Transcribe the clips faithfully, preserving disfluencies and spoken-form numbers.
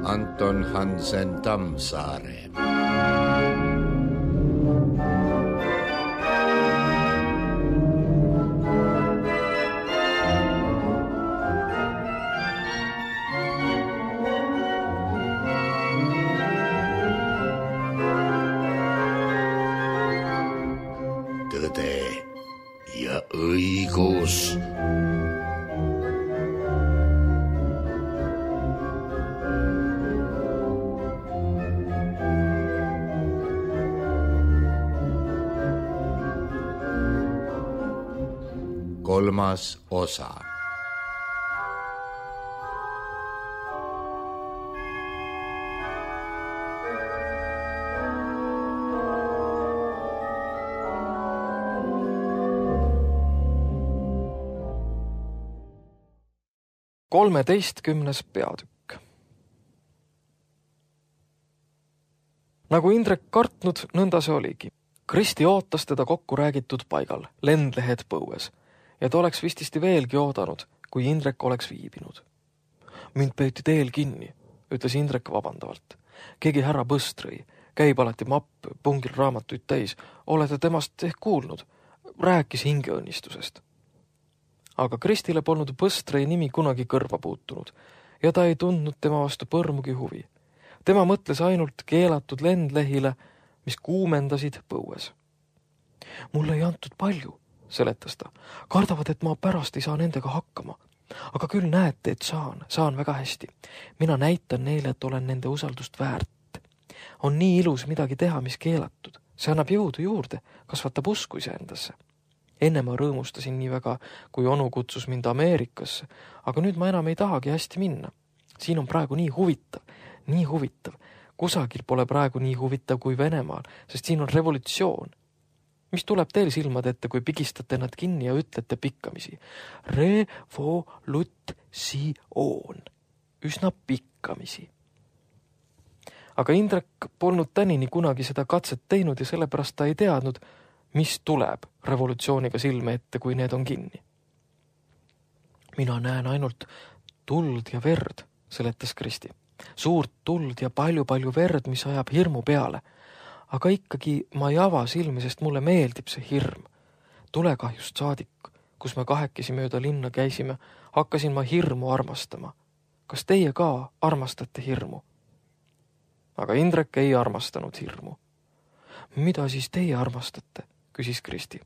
Anton Hansen Tammsaare. Tõde ja õigus. Kolmas osa. kolmeteistkümnes peatükk. Nagu Indrek kartnud, nõnda see oligi. Kristi ootas teda kokku räägitud paigal, lendlehed põues, ja ta oleks vististi veelgi oodanud, kui Indrek oleks viibinud. Mind peeti teel kinni, ütles Indrek vabandavalt. Keegi härra Põstrõi, käib alati mapp, pungil raamatuid täis, olete temast ehk kuulnud, rääkis hingeõnnistusest. Aga Kristile polnud Põstrõi nimi kunagi kõrva puutunud ja ta ei tundnud tema vastu põrmugi huvi. Tema mõtles ainult keelatud lendlehile, mis kuumendasid põues. Mulle ei antud palju, seletas ta. Kardavad, et ma pärast ei saa nendega hakkama. Aga küll näete, et saan, saan väga hästi. Mina näitan neile, et olen nende usaldust väärt. On nii ilus midagi teha, mis keelatud. See annab jõudu juurde, kasvatab usku iseendasse. Enne ma rõõmustasin nii väga, kui onu kutsus mind Ameerikasse, aga nüüd ma enam ei tahagi hästi minna. Siin on praegu nii huvitav, nii huvitav. Kusagil pole praegu nii huvitav kui Venemaal, sest siin on revolutsioon. Mis tuleb teil silmad ette, kui pigistate nad kinni ja ütlete pikkamisi? Revolutsioon. Üsna pikkamisi. Aga Indrek polnud tänini kunagi seda katset teinud ja sellepärast ta ei teadnud, mis tuleb revolutsiooniga silme ette, kui need on kinni. Mina näen ainult tuld ja verd, seletas Kristi. Suurt tuld ja palju-palju verd, mis ajab hirmu peale. Aga ikkagi ma ei ava silmi, sest mulle meeldib see hirm. Tulekahjust saadik, kus me kahekesi mööda linna käisime, hakkasin ma hirmu armastama. Kas teie ka armastate hirmu? Aga Indrek ei armastanud hirmu. Mida siis teie armastate? Küsis Kristi.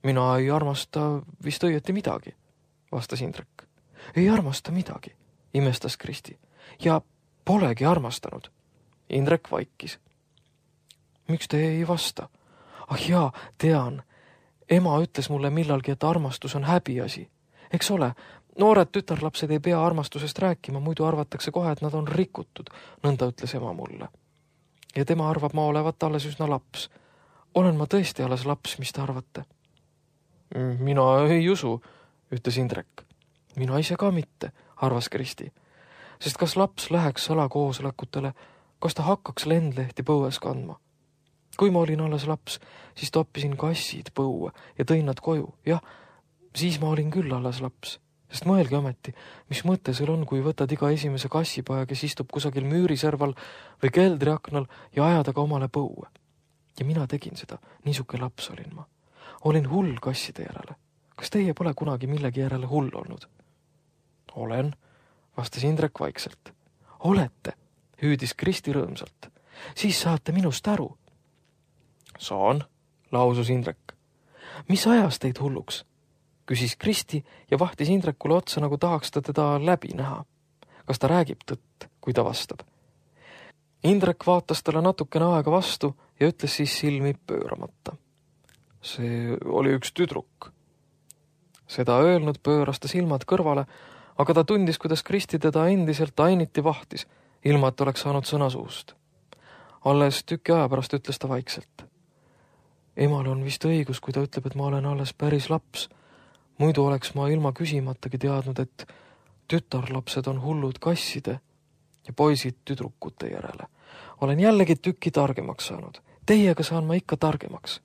Mina ei armasta vist õieti midagi, vastas Indrek. Ei armasta midagi, imestas Kristi. Ja polegi armastanud. Indrek vaikis. Miks te ei vasta? Ah jaa, tean. Ema ütles mulle millalgi, et armastus on häbiasi. Eks ole, noored tütarlapsed ei pea armastusest rääkima, muidu arvatakse kohe, et nad on rikutud, nõnda ütles ema mulle. Ja tema arvab, ma olevat alles üsna laps. Olen ma tõesti alles laps, mis te arvate? Mina ei usu, ütles Indrek. Mina ise ka mitte, arvas Kristi. Sest kas laps läheks salakoosolekutele, kas ta hakkaks lendlehti põues kandma? Kui ma olin alles laps, siis toppisin kassid põue ja tõin nad koju. Jah, siis ma olin küll alles laps. Sest mõelge ometi, mis mõte sul on, kui võtad iga esimese kassipoja, kes istub kusagil müüriserval või keldriaknal ja ajada ka omale põue. Ja mina tegin seda, niisuke laps olin ma. Olin hull kasside järele. Kas teie pole kunagi millegi järele hull olnud? Olen, vastas Indrek vaikselt. Olete, hüüdis Kristi rõõmsalt. Siis saate minust aru. Saan, lausus Indrek. Mis ajas teid hulluks? Küsis Kristi ja vahtis Indrekule otsa, nagu tahaks ta teda läbi näha. Kas ta räägib tõtt, kui ta vastab? Indrek vaatas talle natukene aega vastu ja ütles siis silmi pööramata. See oli üks tüdruk. Seda öelnud pööras ta silmad kõrvale, aga ta tundis, kuidas Kristi teda endiselt ainiti vahtis, ilma et oleks saanud sõna suust. Alles tüki aja pärast ütles ta vaikselt. Emal on vist õigus, kui ta ütleb, et ma olen alles päris laps. Muidu oleks ma ilma küsimatagi teadnud, et tütarlapsed on hullud kasside ja poisid tüdrukute järele. olen jällegi tüki targemaks saanud. Teiega saan ma ikka targemaks.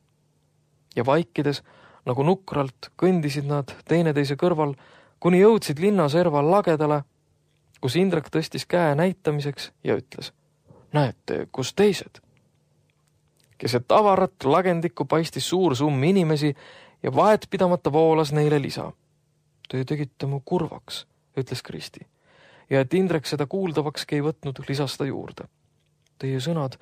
Ja vaikides, nagu nukralt, kõndisid nad teineteise kõrval, kuni jõudsid linnaserva lagedale, kus Indrek tõstis käe näitamiseks ja ütles: näete, kus teised? Keset avarat lagendikku paistis suur summ inimesi ja vahet pidamata voolas neile lisa. Te tegite mu kurvaks, ütles Kristi. Ja et Indrek seda kuuldavakski ei võtnud, lisas ta juurde. Teie sõnad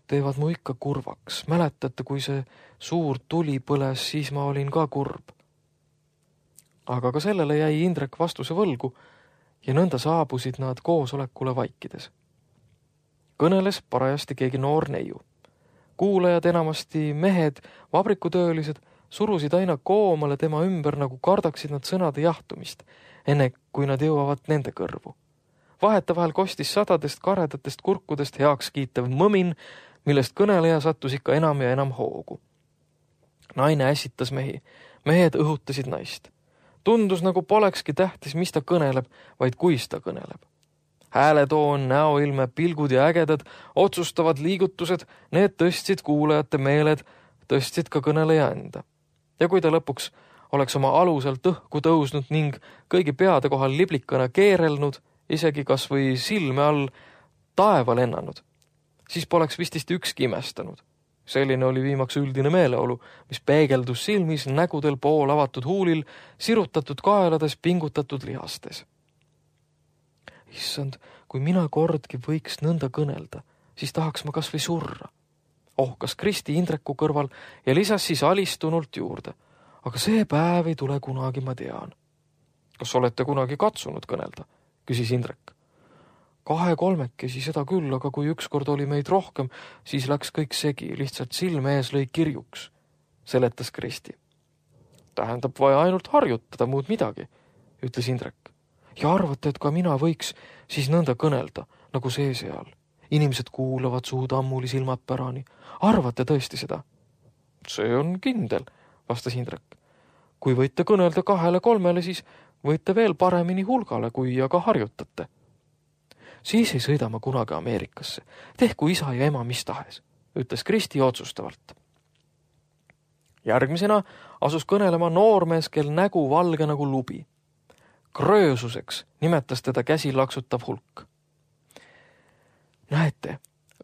teevad mu ikka kurvaks. Mäletate, kui see suur tuli põles, siis ma olin ka kurb. Aga ka sellele jäi Indrek vastuse võlgu ja nõnda saabusid nad koosolekule vaikides. Kõneles parajasti keegi noor neiu. Kuulajad, enamasti mehed, vabrikutöölised, surusid aina koomale tema ümber, nagu kardaksid nad sõnade jahtumist, enne kui nad jõuavad nende kõrvu. Vaheta vahel kostis sadadest karedatest kurkudest heaks kiitev mõmin, millest kõneleja sattus ikka enam ja enam hoogu. Naine ässitas mehi, mehed õhutasid naist. Tundus, nagu polekski tähtis, mis ta kõneleb, vaid kuis ta kõneleb. Hääletoon, näoilme, pilgud ja ägedad, otsustavad liigutused, need tõstsid kuulajate meeled, tõstsid ka kõneleja enda. Ja kui ta lõpuks oleks oma aluselt õhku tõusnud ning kõigi peade kohal liblikana keerelnud, isegi kas või silme all taeva lennanud, siis poleks vististi ükski imestanud. Selline oli viimaks üldine meeleolu, mis peegeldus silmis, nägudel, pool avatud huulil, sirutatud kaelades, pingutatud lihastes. Issand, kui mina kordki võiks nõnda kõnelda, siis tahaks ma kas või surra. Ohkas Kristi Indreku kõrval ja lisas siis alistunult juurde. Aga see päev ei tule kunagi, ma tean. Kas olete kunagi katsunud kõnelda? Küsis Indrek. Kahe-kolmekesi seda küll, aga kui ükskord oli meid rohkem, siis läks kõik segi, lihtsalt silme ees lõi kirjuks, seletas Kristi. Tähendab vaja ainult harjutada muud midagi, ütles Indrek. Ja arvate, et ka mina võiks siis nõnda kõnelda, nagu see seal. Inimesed kuulavad suud ammuli silmad pärani. Arvate tõesti seda? See on kindel, vastas Indrek. Kui võite kõnelda kahele-kolmele, siis võite veel paremini hulgale, kui aga harjutate. Siis ei sõida ma kunagi Ameerikasse. Tehku isa ja ema mis tahes, ütles Kristi otsustavalt. Järgmisena asus kõnelema noormees, kel nägu valge nagu lubi. Kröösuseks nimetas teda käsi laksutav hulk. Näete,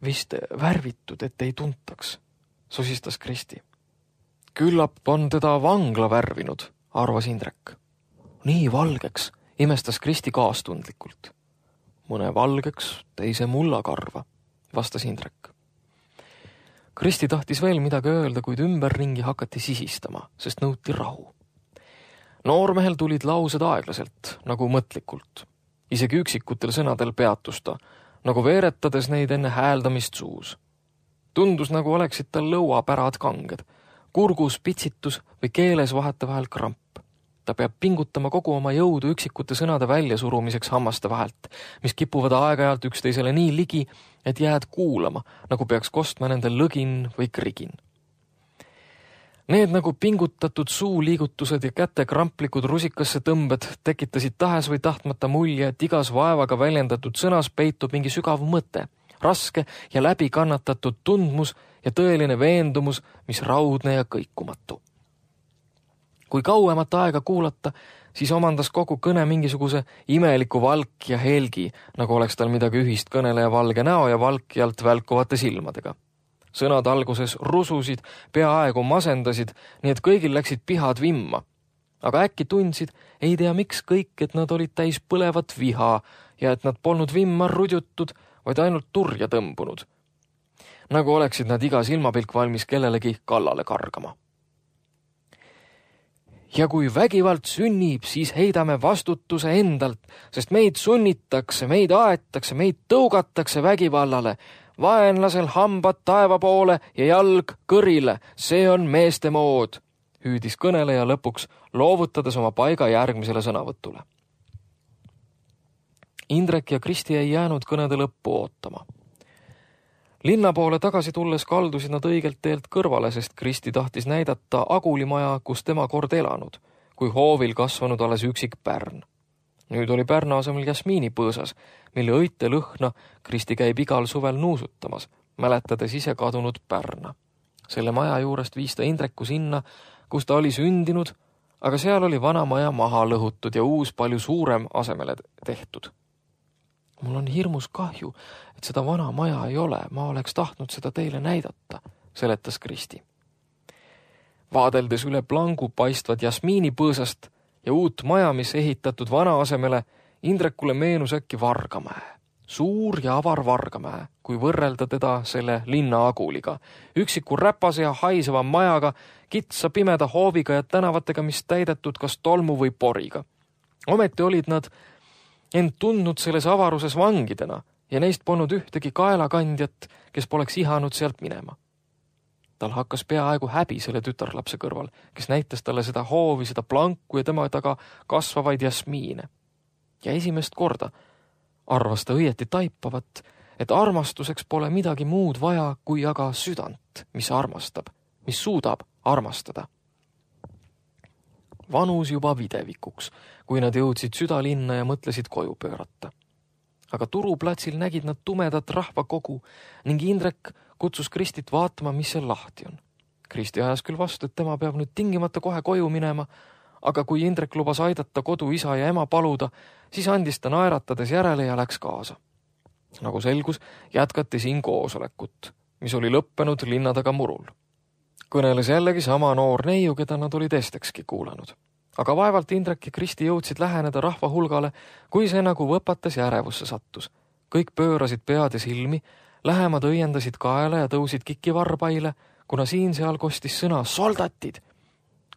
vist värvitud, et ei tuntaks, sosistas Kristi. Küllap on teda vangla värvinud, arvas Indrek. Nii valgeks, imestas Kristi kaastundlikult. Mõne valgeks, teise mullakarva, vastas Indrek. Kristi tahtis veel midagi öelda, kuid ümberringi hakati sisistama, sest nõuti rahu. Noormehel tulid laused aeglaselt, nagu mõtlikult. Isegi üksikutel sõnadel peatus ta, nagu veeretades neid enne hääldamist suus. Tundus, nagu oleksid tal lõuapärad kanged, kurgus pitsitus või keeles vahetevahel kramp. Ta peab pingutama kogu oma jõudu üksikute sõnade väljasurumiseks hammaste vahelt, mis kipuvad aeg-ajalt üksteisele nii ligi, et jääd kuulama, nagu peaks kostma nende lõgin või krigin. Need nagu pingutatud suuliigutused ja käte kramplikud rusikasse tõmbed tekitasid tahes või tahtmata mulje, et igas vaevaga väljendatud sõnas peitub mingi sügav mõte, raske ja läbi kannatatud tundmus ja tõeline veendumus, mis raudne ja kõikumatu. Kui kauemat aega kuulata, siis omandas kogu kõne mingisuguse imeliku valk ja helgi, nagu oleks tal midagi ühist kõneleja valge näo ja valkjalt välkuvate silmadega. Sõnad alguses rususid, peaaegu masendasid, nii et kõigil läksid pihad vimma. Aga äkki tundsid, ei tea miks kõik, et nad olid täis põlevat viha ja et nad polnud vimma rudjutud, vaid ainult turja tõmbunud. Nagu oleksid nad iga silmapilk valmis kellelegi kallale kargama. Ja kui vägivald sünnib, siis heidame vastutuse endalt, sest meid sunnitakse, meid aetakse, meid tõugatakse vägivallale. Vaenlasel hambad taeva poole ja jalg kõrile, see on meeste mood, hüüdis kõneleja lõpuks, loovutades oma paiga järgmisele sõnavõtule. Indrek ja Kristi ei jäänud kõnede lõppu ootama. Linna poole tagasi tulles kaldusid nad õigelt teelt kõrvale, sest Kristi tahtis näidata agulimaja, kus tema kord elanud, kui hoovil kasvanud alles üksik pärn. Nüüd oli Pärna asemel jasmiinipõõsas, mille õite lõhna Kristi käib igal suvel nuusutamas, mäletades ise kadunud Pärna. Selle maja juurest viis ta Indreku sinna, kus ta oli sündinud, aga seal oli vana maja maha lõhutud ja uus palju suurem asemele tehtud. Mul on hirmus kahju, et seda vana maja ei ole, ma oleks tahtnud seda teile näidata, seletas Kristi. Vaadeldes üle plangu paistvad jasmiinipõõsast ja uut maja, mis ehitatud vana asemele, Indrekule meenus äkki Vargamäe. Suur ja avar Vargamäe, kui võrrelda teda selle linna aguliga. Üksiku räpase ja haiseva majaga, kitsa pimeda hooviga ja tänavatega, mis täidetud kas tolmu või poriga. Ometi olid nad end tundnud selles avaruses vangidena ja neist polnud ühtegi kaelakandjat, kes poleks ihanud sealt minema. Tal hakkas peaaegu häbi selle tütarlapse kõrval, kes näitas talle seda hoovi, seda planku ja tema taga kasvavaid jasmiine. Ja esimest korda arvas ta õieti taipavat, et armastuseks pole midagi muud vaja kui aga südant, mis armastab, mis suudab armastada. Vanus juba videvikuks, kui nad jõudsid südalinna ja mõtlesid koju pöörata. Aga turuplatsil nägid nad tumedat rahvakogu ning Indrek kutsus Kristit vaatama, mis seal lahti on. Kristi ajas küll vastu, et tema peab nüüd tingimata kohe koju minema, aga kui Indrek lubas aidata kodu isa ja ema paluda, siis andis ta naeratades järele ja läks kaasa. Nagu selgus, jätkati siin koosolekut, mis oli lõppenud linna taga murul. Kõneles jällegi sama noor neiu, keda nad olid estekski kuulanud. Aga vaevalt Indrek ja Kristi jõudsid läheneda rahva hulgale, kui see nagu võpatas ja ärevusse sattus. Kõik pöörasid pead ja silmi, lähemad õiendasid kaela ja tõusid kiki varbaile, kuna siin seal kostis sõna soldatid.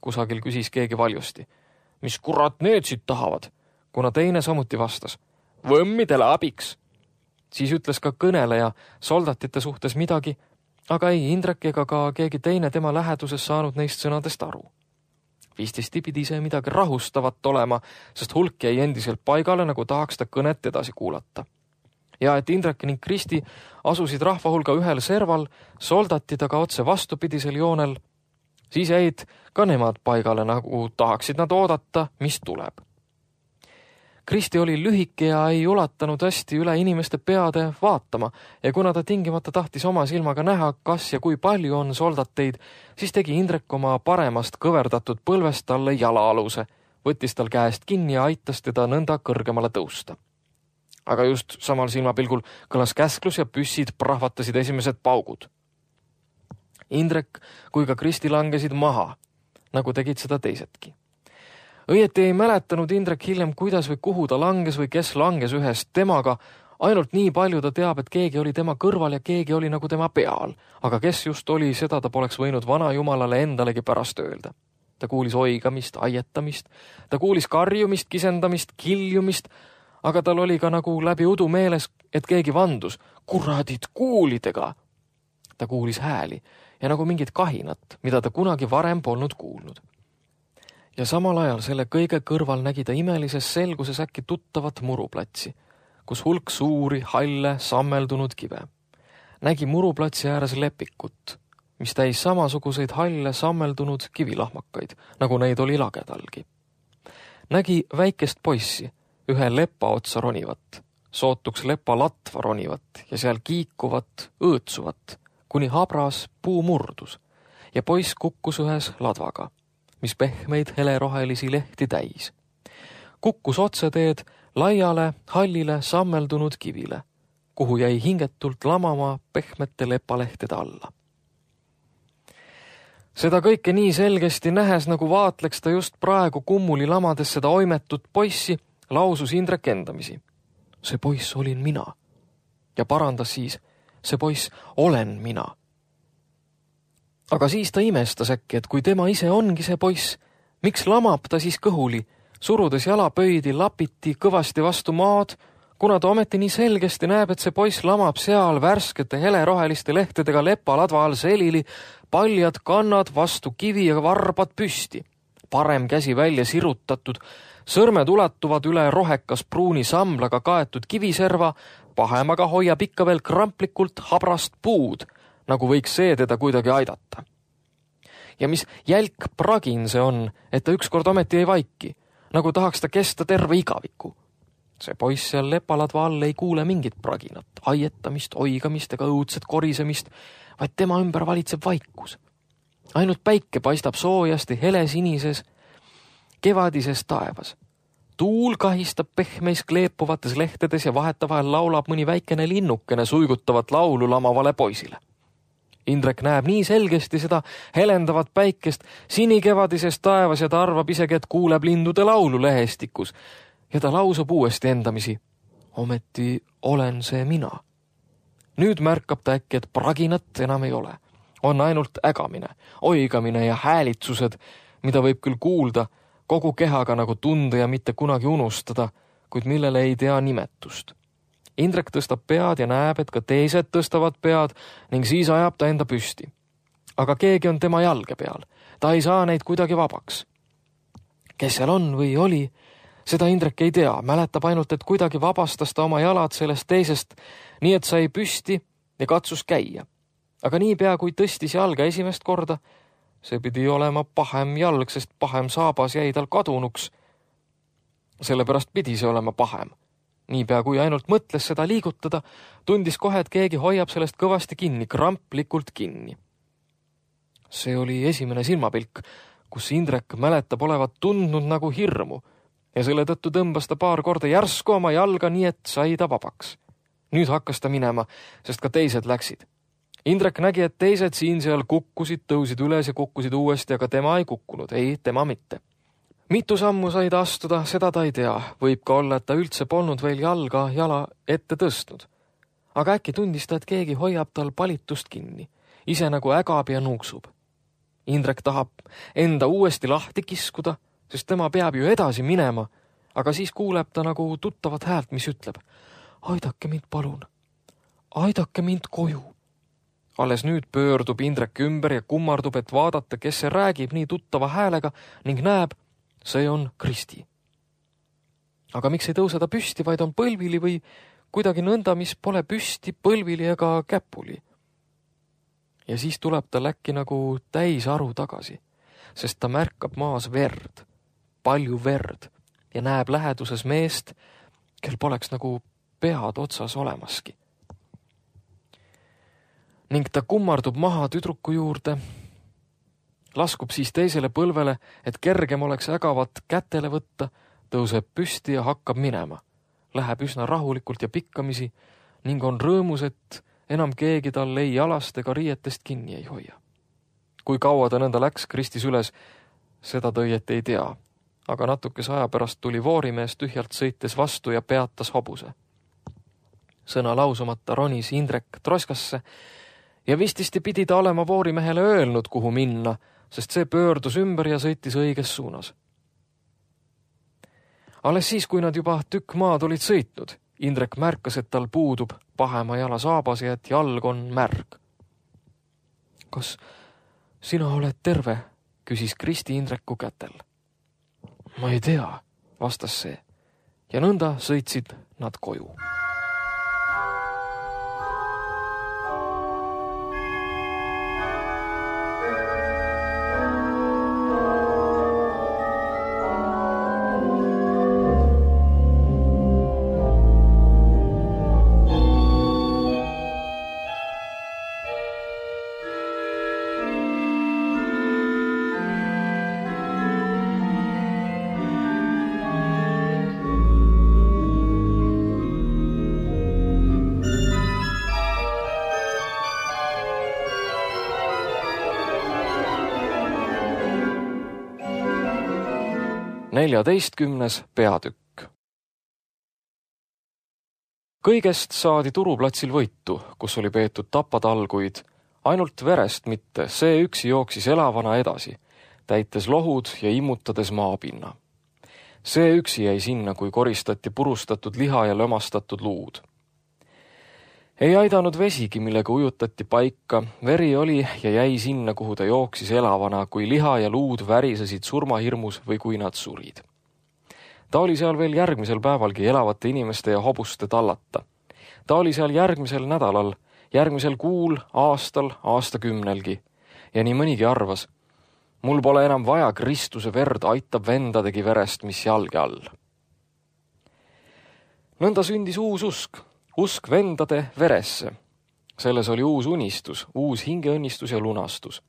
Kusagil küsis keegi valjusti. Mis kurat need siit tahavad? Kuna teine samuti vastas. Võmmidele abiks. Siis ütles ka kõneleja soldatite suhtes midagi, aga ei Indrek ega ka keegi teine tema läheduses saanud neist sõnadest aru. Vististi pidi see midagi rahustavat olema, sest hulk jäi endiselt paigale, nagu tahaks ta kõnet edasi kuulata. Ja et Indrek ning Kristi asusid rahva hulga ühel serval, soldatid aga otse vastupidisel joonel, siis jäid ka nemad paigale, nagu tahaksid nad oodata, mis tuleb. Kristi oli lühike ja ei ulatanud hästi üle inimeste peade vaatama ja kuna ta tingimata tahtis oma silmaga näha, kas ja kui palju on soldateid, siis tegi Indrek oma paremast kõverdatud põlvest talle jalaaluse, võttis tal käest kinni ja aitas teda nõnda kõrgemale tõusta. Aga just samal silmapilgul kõlas käsklus ja püssid prahvatasid esimesed paugud. Indrek kui ka Kristi langesid maha, nagu tegid seda teisedki. Õieti ei mäletanud Indrek hiljem, kuidas või kuhu ta langes või kes langes ühest temaga, ainult nii palju ta teab, et keegi oli tema kõrval ja keegi oli nagu tema peal, aga kes just oli, seda ta poleks võinud vana jumalale endalegi pärast öelda. Ta kuulis oigamist, aietamist, ta kuulis karjumist, kisendamist, kiljumist, aga tal oli ka nagu läbi udu meeles, et keegi vandus, kuradid kuulidega. Ta kuulis hääli ja nagu mingit kahinat, mida ta kunagi varem polnud kuulnud. Ja samal ajal selle kõige kõrval nägi ta imelises selguses äkki tuttavat muruplatsi, kus hulk suuri, halle, sammeldunud kive. Nägi muruplatsi ääres lepikut, mis täis samasuguseid halle, sammeldunud kivilahmakaid, nagu neid oli lagedalgi. Nägi väikest poissi, ühe lepa otsa ronivat, sootuks lepa latva ronivat ja seal kiikuvat, õõtsuvat, kuni habras puu murdus ja poiss kukkus ühes ladvaga, mis pehmeid helerohelisi lehti täis. Kukkus otseteed laiale, hallile, sammeldunud kivile, kuhu jäi hingetult lamama pehmete lepalehtede alla. Seda kõike nii selgesti nähes, nagu vaatleks ta just praegu kummuli lamades seda oimetut poissi, lausus Indrek endamisi. See poiss olin mina. Ja parandas siis, see poiss olen mina. Aga siis ta imestas äkki, et kui tema ise ongi see poiss, miks lamab ta siis kõhuli, surudes jalapöidi lapiti kõvasti vastu maad, kuna ta ometi nii selgesti näeb, et see poiss lamab seal värskete heleroheliste lehtedega lepaladva all selili, paljad kannad vastu kivi ja varbad püsti, parem käsi välja sirutatud, sõrmed ulatuvad üle rohekas pruuni samlaga kaetud kiviserva, pahemaga hoiab ikka veel kramplikult habrast puud, nagu võiks see teda kuidagi aidata. Ja mis jälk pragin see on, et ta ükskord ometi ei vaiki, nagu tahaks ta kesta terve igaviku, See poiss seal lepaladva all ei kuule mingit praginat, aietamist, oigamist ega õudset korisemist, vaid tema ümber valitseb vaikus. Ainult päike paistab soojasti helesinises kevadises taevas. Tuul kahistab pehmeis kleepuvates lehtedes ja vahetavahel laulab mõni väikene linnukene suigutavat laulu lamavale poisile. Indrek näeb nii selgesti seda helendavat päikest sinikevadises taevas ja ta arvab isegi, et kuuleb lindude laulu lehestikus ja ta lausub uuesti endamisi. Ometi olen see mina. Nüüd märkab ta äkki, et praginat enam ei ole. On ainult ägamine, oigamine ja häälitsused, mida võib küll kuulda kogu kehaga nagu tunda ja mitte kunagi unustada, kuid millele ei tea nimetust. Indrek tõstab pead ja näeb, et ka teised tõstavad pead ning siis ajab ta enda püsti. Aga keegi on tema jalge peal. Ta ei saa neid kuidagi vabaks. Kes seal on või oli, seda Indrek ei tea. Mäletab ainult, et kuidagi vabastas ta oma jalad sellest teisest, nii et sai püsti ja katsus käia. Aga niipea, kui tõstis jalga esimest korda, see pidi olema pahem jalg, sest pahem saabas jäi tal kadunuks. Sellepärast pidi see olema pahem. Niipea, kui ainult mõtles seda liigutada, tundis kohe, et keegi hoiab sellest kõvasti kinni, kramplikult kinni. See oli esimene silmapilk, kus Indrek mäletab olevat tundnud nagu hirmu ja selle tõttu tõmbas ta paar korda järsku oma jalga, nii et sai ta vabaks. Nüüd hakkas ta minema, sest ka teised läksid. Indrek nägi, et teised siin seal kukkusid, tõusid üles ja kukkusid uuesti, aga tema ei kukkunud, ei, tema mitte. Mitu sammu sai ta astuda, seda ta ei tea. Võib ka olla, et ta üldse polnud veel jalga jala ette tõstnud. Aga äkki tundis ta, et keegi hoiab tal palitust kinni, ise nagu ägab ja nuuksub. Indrek tahab enda uuesti lahti kiskuda, sest tema peab ju edasi minema, aga siis kuuleb ta nagu tuttavat häält, mis ütleb: aidake mind palun, aidake mind koju. Alles nüüd pöördub Indrek ümber ja kummardub, et vaadata, kes see räägib nii tuttava häälega ning näeb, see on Kristi. Aga miks ei tõuse ta püsti, vaid on põlvili või kuidagi nõnda, mis pole püsti, põlvili ega käpuli. Ja siis tuleb ta äkki nagu täis aru tagasi, sest ta märkab maas verd, palju verd ja näeb läheduses meest, kel poleks nagu pead otsas olemaski. Ning ta kummardub maha tüdruku juurde, laskub siis teisele põlvele, et kergem oleks ägavat kätele võtta, tõuseb püsti ja hakkab minema. Läheb üsna rahulikult ja pikkamisi ning on rõõmus, et enam keegi tal ei jalast ega riietest kinni ei hoia. Kui kaua ta nõnda läks Kristis üles, seda tõiet ei tea, aga natukese aja pärast tuli voorimees tühjalt sõites vastu ja peatas hobuse. Sõna lausumata ronis Indrek troskasse ja vististi pidi ta olema voorimehele öelnud, kuhu minna, sest see pöördus ümber ja sõitis õiges suunas. Alles siis, kui nad juba tükk maad olid sõitnud, Indrek märkas, et tal puudub pahema jala saabas ja et jalg on märg. Kas sina oled terve? Küsis Kristi Indreku kätel. Ma ei tea, vastas see, ja nõnda sõitsid nad koju. neljateistkümnes peatükk. Kõigest saadi turuplatsil võitu, kus oli peetud tapatalguid, ainult verest mitte, see üksi jooksis elavana edasi, täites lohud ja immutades maapinna. See üksi jäi sinna, kui koristati purustatud liha ja lömastatud luud. Ei aidanud vesigi, millega ujutati paika, veri oli ja jäi sinna, kuhu ta jooksis elavana, kui liha ja luud värisesid surmahirmus või kui nad surid. Ta oli seal veel järgmisel päevalgi elavate inimeste ja hobuste tallata. Ta oli seal järgmisel nädalal, järgmisel kuul, aastal, aastakümnelgi. Ja nii mõnigi arvas, mul pole enam vaja Kristuse verd, aitab vendadegi verest, mis jalge all. Nõnda sündis uus usk, usk vendade veresse. Selles oli uus unistus, uus hingeõnnistus ja lunastus.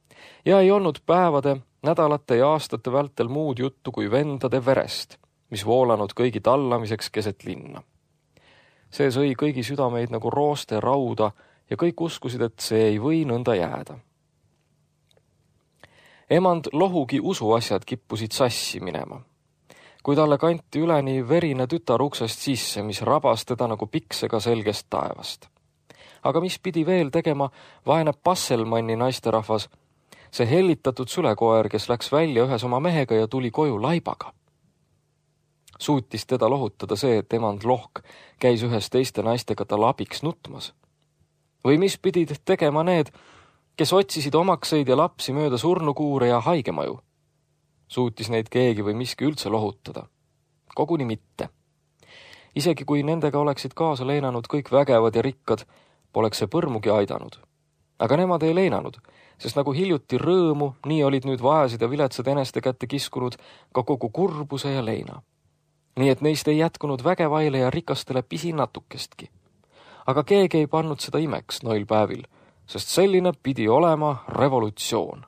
Ja ei olnud päevade, nädalate ja aastate vältel muud juttu kui vendade verest, mis voolanud kõigi tallamiseks keset linna. See sõi kõigi südameid nagu rooste rauda ja kõik uskusid, et see ei või nõnda jääda. Emand Lohugi usuasjad kippusid sassi minema. Kui talle kanti üleni verine tütar uksest sisse, mis rabas teda nagu piksega selgest taevast. Aga mis pidi veel tegema vaene Passelmanni naisterahvas, see hellitatud sülekoer, kes läks välja ühes oma mehega ja tuli koju laibaga. Suutis teda lohutada see, et emand Lohk käis ühes teiste naistega tal abiks nutmas. Või mis pidid tegema need, kes otsisid omakseid ja lapsi mööda surnukuure ja haigemaju? Suutis neid keegi või miski üldse lohutada? Koguni mitte. Isegi kui nendega oleksid kaasa leenanud kõik vägevad ja rikkad, poleks see põrmugi aidanud. Aga nemad ei leenanud, sest nagu hiljuti rõõmu, nii olid nüüd vaesed ja viletsad eneste kätte kiskunud ka kogu kurbuse ja leina. Nii et neist ei jätkunud vägevaile ja rikastele pisinatukestki. Aga keegi ei pannud seda imeks noil päevil, sest selline pidi olema revolutsioon.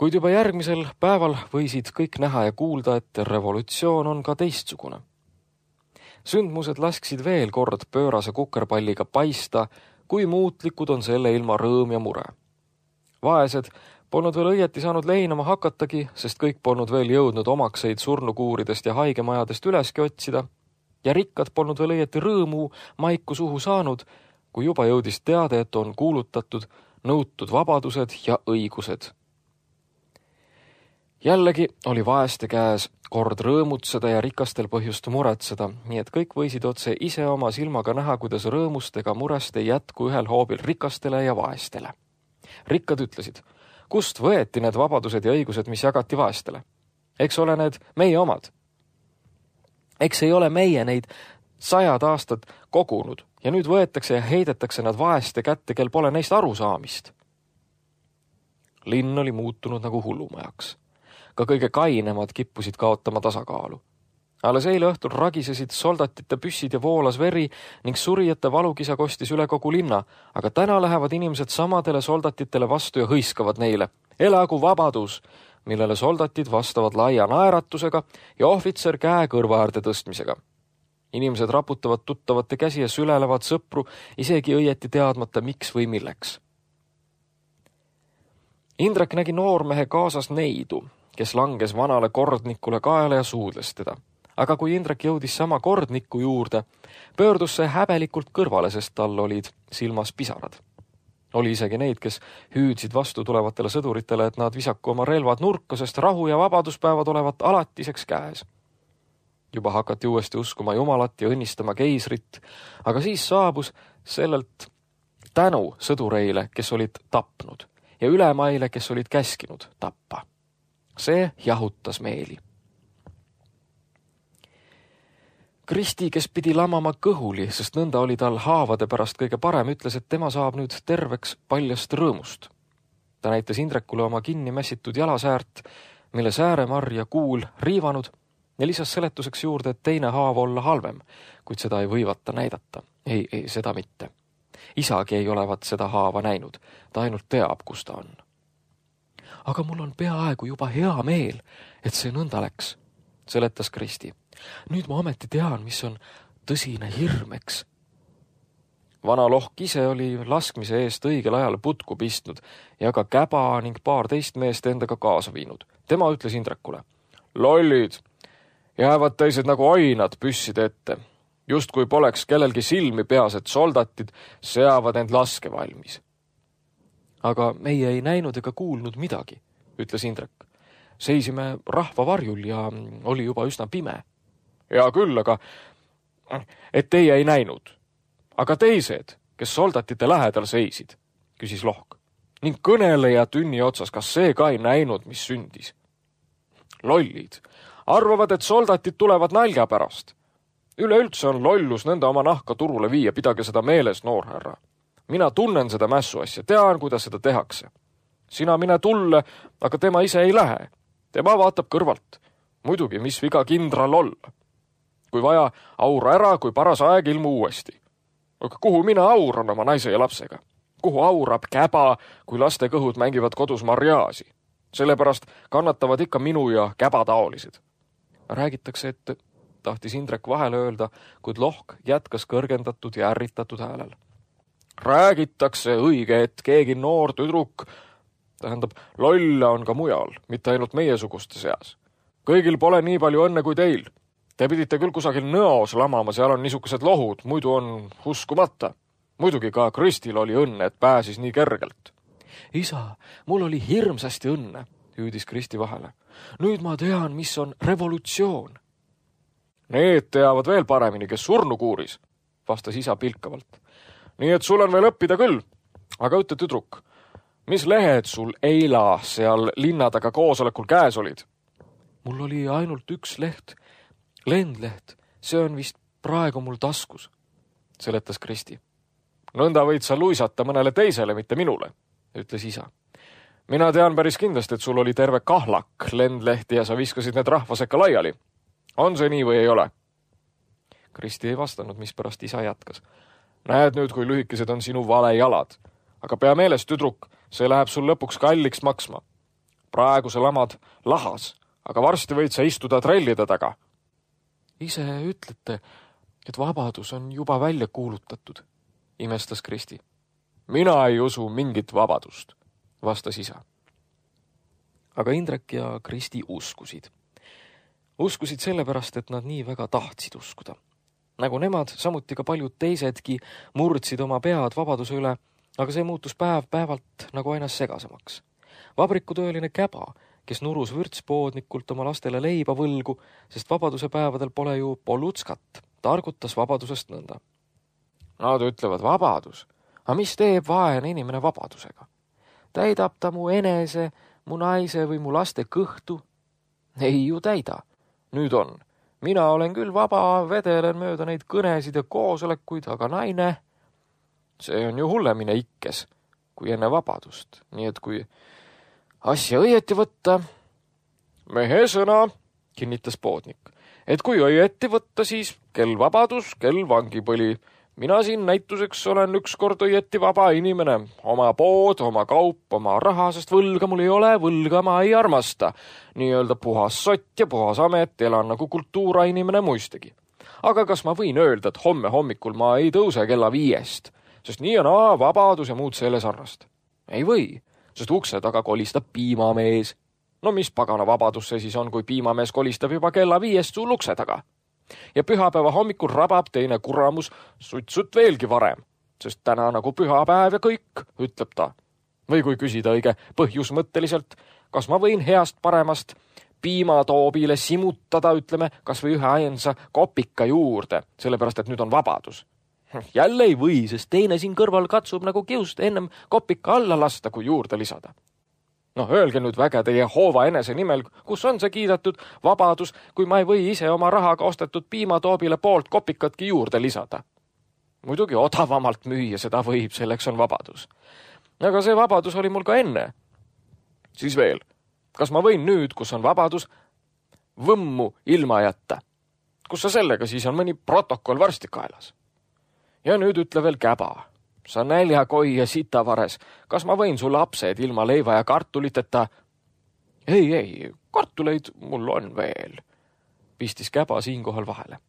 Kuid juba järgmisel päeval võisid kõik näha ja kuulda, et revolutsioon on ka teistsugune. Sündmused lasksid veel kord pöörase kukerpalliga paista, kui muutlikud on selle ilma rõõm ja mure. Vaesed polnud veel õieti saanud leinama hakatagi, sest kõik polnud veel jõudnud omakseid surnukuuridest ja haigemajadest üleski otsida, ja rikkad polnud veel õieti rõõmu maiku suhu saanud, kui juba jõudis teade, et on kuulutatud nõutud vabadused ja õigused. Jällegi oli vaeste käes kord rõõmutseda ja rikastel põhjust muretseda, nii et kõik võisid otse ise oma silmaga näha, kuidas rõõmust ega murest ei jätku ühel hoobil rikastele ja vaestele. Rikkad ütlesid, kust võeti need vabadused ja õigused, mis jagati vaestele? Eks ole need meie omad. Eks ei ole meie neid sajad aastad kogunud ja nüüd võetakse ja heidetakse nad vaeste kätte, kel pole neist arusaamist. Linn oli muutunud nagu hullumajaks. Ka kõige kainemad kippusid kaotama tasakaalu. Alles eile õhtul ragisesid soldatite püssid ja voolas veri ning surijate valukisa kostis üle kogu linna, aga täna lähevad inimesed samadele soldatitele vastu ja hõiskavad neile. Elagu vabadus, millele soldatid vastavad laia naeratusega ja ohvitser käe kõrvaäärde tõstmisega. Inimesed raputavad tuttavate käsi ja sülelevad sõpru, isegi õieti teadmata, miks või milleks. Indrek nägi noormehe kaasas neidu, kes langes vanale kordnikule kaela ja suudles teda. Aga kui Indrek jõudis sama kordniku juurde, pöördus see häbelikult kõrvale, sest tal olid silmas pisarad. Oli isegi neid, kes hüüdsid vastu tulevatele sõduritele, et nad visaku oma relvad nurka, sest rahu ja vabaduspäevad olevat alatiseks käes. Juba hakati uuesti uskuma Jumalat ja õnnistama keisrit, aga siis saabus sellelt tänu sõdureile, kes olid tapnud, ja ülemaile, kes olid käskinud tappa. See jahutas meeli. Kristi, kes pidi lamama kõhuli, sest nõnda oli tal haavade pärast kõige parem, ütles, et tema saab nüüd terveks paljast rõõmust. Ta näitas Indrekule oma kinni mässitud jalasäärt, mille sääremarr ja kuul riivanud, ja lisas seletuseks juurde, et teine haav olla halvem, kuid seda ei võivata näidata. Ei, ei, seda mitte. Isagi ei olevat seda haava näinud, ta ainult teab, kus ta on. Aga mul on peaaegu juba hea meel, et see nõnda läks, seletas Kristi. Nüüd ma ometi tean, mis on tõsine hirmeks. Vana Lohk ise oli laskmise eest õigel ajal putku pistnud ja ka käba ning paar teist meest endaga kaasa viinud. Tema ütles Indrekule, lollid, jäävad teised nagu ainad püsside ette. Just kui poleks kellelgi silmi peas, et soldatid seavad end laske valmis. Aga meie ei näinud ega kuulnud midagi, ütles Indrek. Seisime rahva varjul ja oli juba üsna pime. Ja küll, aga et teie ei näinud. Aga teised, kes soldatite lähedal seisid, küsis Lohk. Ning kõneleja tünni otsas, kas see ka ei näinud, mis sündis? Lollid arvavad, et soldatid tulevad nälga pärast. Üleüldse on lollus nende oma nahka turule viia, pidage seda meeles, noorhärra. Mina tunnen seda mässu asja, tean, kuidas seda tehakse. Sina mine tulle, aga tema ise ei lähe. Tema vaatab kõrvalt. Muidugi, mis viga kindral olla. Kui vaja, aura ära, kui paras aeg ilmu uuesti. Aga kuhu mina auran oma naise ja lapsega? Kuhu aurab käba, kui laste kõhud mängivad kodus marjaasi? Sellepärast kannatavad ikka minu ja käba taolised. Räägitakse, et tahtis Indrek vahele öelda, kuid Lohk jätkas kõrgendatud ja ärritatud häälel. Räägitakse õige, et keegi noor tüdruk, tähendab, lolle on ka mujal, mitte ainult meiesuguste seas. Kõigil pole nii palju õnne kui teil. Te pidite küll kusagil nõos lamama, seal on niisugused lohud, muidu on uskumata. Muidugi ka Kristil oli õnne, et pääsis nii kergelt. Isa, mul oli hirmsasti õnne, hüüdis Kristi vahele. Nüüd ma tean, mis on revolutsioon. Need teavad veel paremini, kes surnukuuris, vastas isa pilkavalt. Nii et sul on veel õppida küll. Aga ütle, tüdruk, mis lehed sul eila seal linna taga koosolekul käes olid? Mul oli ainult üks leht, lendleht. See on vist praegu mul taskus, seletas Kristi. Nõnda võid sa luisata mõnele teisele, mitte minule, ütles isa. Mina tean päris kindlasti, et sul oli terve kahlak lendlehti ja sa viskasid need rahvasekka laiali. On see nii või ei ole? Kristi ei vastanud, mispärast isa jätkas. Näed nüüd, kui lühikesed on sinu vale jalad. Aga pea meeles, tüdruk, see läheb sul lõpuks kalliks maksma. Praegu sa lamad lahas, aga varsti võid sa istuda trellide taga. Ise ütlete, et vabadus on juba välja kuulutatud, imestas Kristi. Mina ei usu mingit vabadust, vastas isa. Aga Indrek ja Kristi uskusid. Uskusid sellepärast, et nad nii väga tahtsid uskuda. Nagu nemad, samuti ka paljud teisedki murdsid oma pead vabaduse üle, aga see muutus päev päevalt nagu aina segasemaks. Vabrikutööline käba, kes nurus vürtspoodnikult oma lastele leiba võlgu, sest vabaduse päevadel pole ju pollutskat, targutas vabadusest nõnda. Nad ütlevad vabadus, aga mis teeb vaene inimene vabadusega? Täidab ta mu enese, mu naise või mu laste kõhtu? Ei ju täida. Nüüd on. Mina olen küll vaba, vedelen mööda neid kõnesid ja koosolekuid, aga naine, see on ju hullemine ikkes, kui enne vabadust. Nii et kui asja õieti võtta, mehe sõna, kinnitas poodnik, et kui õieti võtta, siis kel vabadus, kel vangipõli. Mina siin näituseks olen ükskord õieti vaba inimene. Oma pood, oma kaup, oma raha, sest võlga mul ei ole, võlga ma ei armasta. Nii-öelda puhas sott ja puhas amet, elan nagu kultuura inimene muistegi. Aga kas ma võin öelda, et homme hommikul ma ei tõuse kella viiest, sest nii on aa, vabadus ja muud selle sarnast? Ei või, sest ukse taga kolistab piimamees. No mis pagana vabadus see siis on, kui piimamees kolistab juba kella viiest sul ukse taga? Ja pühapäeva hommikul rabab teine kuramus sutsut veelgi varem, sest täna nagu pühapäev ja kõik, ütleb ta. Või kui küsida õige põhjusmõtteliselt, kas ma võin heast paremast piimatoobile simutada, ütleme, kas või ühe ainsa kopika juurde, sellepärast et nüüd on vabadus. Jälle ei või, sest teine siin kõrval katsub nagu kiust ennem kopika alla lasta, kui juurde lisada. No öelge nüüd väge teie hoova enese nimel, kus on see kiidetud vabadus, kui ma ei või ise oma rahaga ostetud piimatoobile poolt kopikatki juurde lisada. Muidugi odavamalt müüa seda võib, selleks on vabadus. Aga see vabadus oli mul ka enne. Siis veel, kas ma võin nüüd, kus on vabadus, võmmu ilma jätta? Kus sa sellega siis on mõni protokoll varsti kaelas? Ja nüüd ütle veel käba. Sa näljakoi ja sitavares, kas ma võin su lapsed ilma leiva ja kartuliteta? Ei, ei, kartuleid mul on veel, pistis käba siinkohal vahele.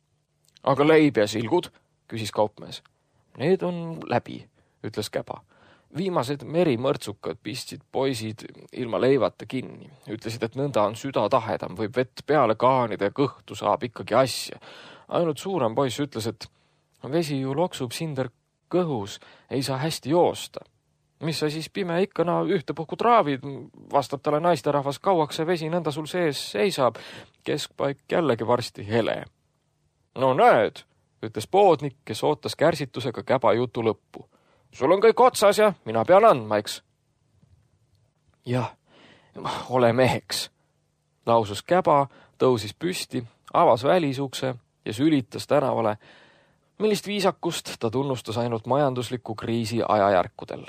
Aga leib ja silgud, küsis kaupmees. Need on läbi, ütles käba. Viimased merimõrtsukad pistsid poisid ilma leivata kinni. Ütlesid, et nõnda on süda tahedam, võib vett peale kaanida ja kõhtu saab ikkagi asja. Ainult suurem poiss ütles, et vesi ju loksub sinder kõhus, ei saa hästi joosta. Mis sa siis pime ikka na ühtepuhku traavid, vastab talle naisterahvas, kauaks see vesi nõnda sul sees seisab, keskpaik jällegi varsti hele. No näed, ütles poodnik, kes ootas kärsitusega käba jutu lõppu. Sul on kõik otsas ja mina pean andma, eks? Jah, ole meheks, lausus käba, tõusis püsti, avas välisukse ja sülitas tänavale. Millist viisakust ta tunnustas ainult majandusliku kriisi ajajärkudel.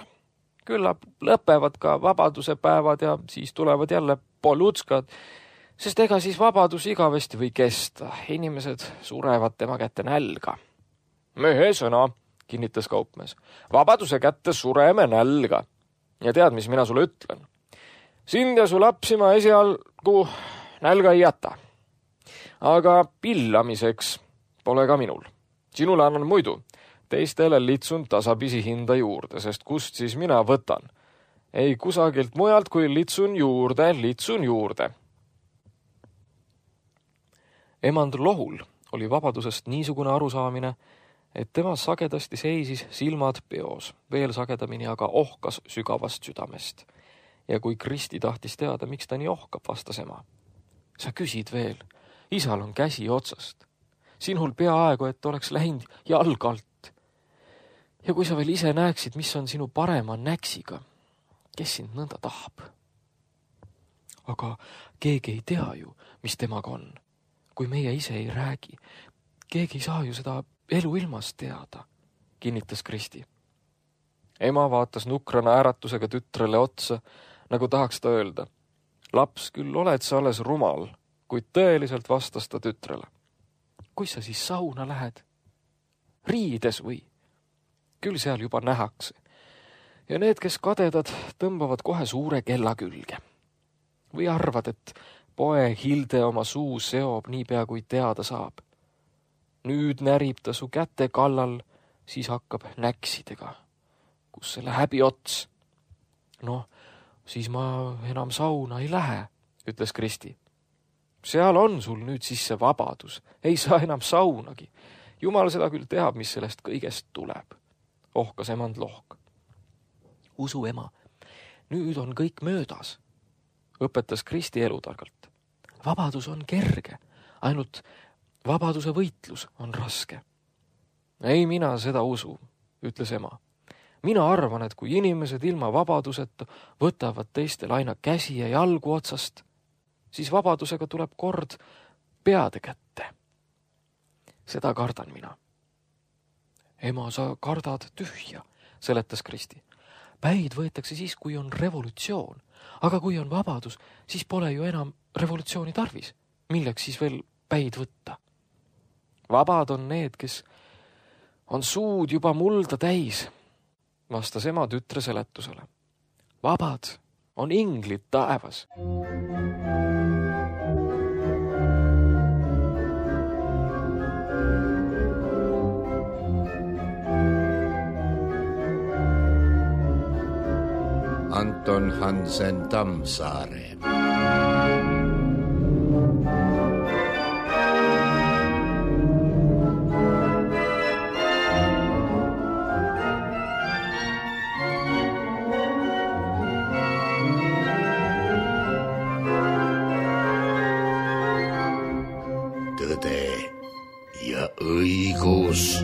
Küllap lõpevad ka vabaduse päevad ja siis tulevad jälle polutskad. Sest ega siis vabadus igavesti või kesta, inimesed surevad tema kätte nälga. Mehe sõna, kinnitas kaupmees, vabaduse kätte sureme nälga. Ja tead, mis mina sulle ütlen? Sind ja su lapsi ma esialgu nälga ei jäta. Aga pillamiseks pole ka minul. Sinule annan muidu, teistele litsun tasapisi hinda juurde, sest kust siis mina võtan? Ei kusagilt mujalt, kui litsun juurde, litsun juurde. Emand Lohul oli vabadusest niisugune arusaamine, et tema sagedasti seisis silmad peos, veel sagedamini aga ohkas sügavast südamest. Ja kui Kristi tahtis teada, miks ta nii ohkab, vastas ema. Sa küsid veel, isal on käsi otsast. Sinul peaaegu, et oleks läinud jalg alt. Ja kui sa veel ise näeksid, mis on sinu parema näksiga, kes sind nõnda tahab? Aga keegi ei tea ju, mis temaga on. Kui meie ise ei räägi, keegi ei saa ju seda elu ilmast teada, kinnitas Kristi. Ema vaatas nukrana äratusega tütrele otsa, nagu tahaks ta öelda. Laps, küll oled sa alles rumal, kuid tõeliselt vastas ta tütrele. Kui sa siis sauna lähed? Riides või? Küll seal juba nähakse. Ja need, kes kadedad, tõmbavad kohe suure kella külge. Või arvad, et poe Hilde oma suu seob niipea, kui teada saab. Nüüd närib ta su käte kallal, siis hakkab näksidega. Kus selle häbi ots? No, siis ma enam sauna ei lähe, ütles Kristi. Seal on sul nüüd siis see vabadus. Ei saa enam saunagi. Jumal seda küll teab, mis sellest kõigest tuleb. Ohkas emand Lohk. Usu ema, nüüd on kõik möödas, õpetas Kristi elutargalt. Vabadus on kerge, ainult vabaduse võitlus on raske. Ei mina seda usu, ütles ema. Mina arvan, et kui inimesed ilma vabaduseta võtavad teistel aina käsi ja jalgu otsast, siis vabadusega tuleb kord peade kätte. Seda kardan mina. Ema, sa kardad tühja, seletas Kristi. Päid võetakse siis, kui on revolutsioon, aga kui on vabadus, siis pole ju enam revolutsiooni tarvis. Milleks siis veel päid võtta? Vabad on need, kes on suud juba mulda täis, vastas ema tütre seletusele. Vabad on inglid taevas. Anton Hansen Tammsaare. Tõde ja õigus.